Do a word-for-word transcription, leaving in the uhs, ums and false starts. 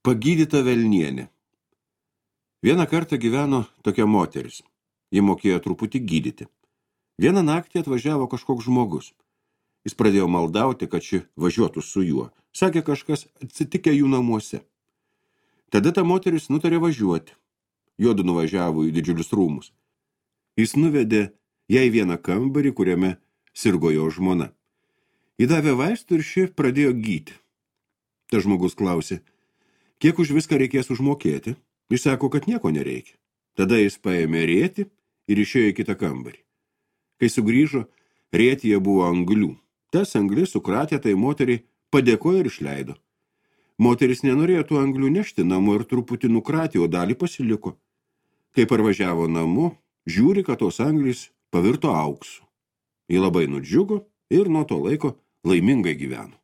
Pagydyta velnienė. Vieną kartą gyveno tokia moteris. Ji mokėjo truputį gydyti. Vieną naktį atvažiavo kažkoks žmogus. Jis pradėjo maldauti, kad ši važiuotų su juo. Sakė kažkas atsitikę jų namuose. Tada ta moteris nutarė važiuoti. Juodu nuvažiavo į didžiulius rūmus. Jis nuvedė jai vieną kambarį, kuriame sirgo jo žmona. Įdavė vaistų ir ši pradėjo gyti. Tas žmogus klausė, kiek už viską reikės užmokėti? Jis sako, kad nieko nereikia. Tada jis paėmė rėtį ir išėjo į kitą kambarį. Kai sugrįžo, rėtyje buvo anglių. Tas anglis sukratė tai moteriai, padėkojo ir išleido. Moteris nenorėjo tų anglių nešti namo ir truputį nukratė, o dalį pasiliko. Kai parvažiavo namo, žiūri, kad tos anglys pavirto auksu. Ji labai nudžiugo ir nuo to laiko laimingai gyveno.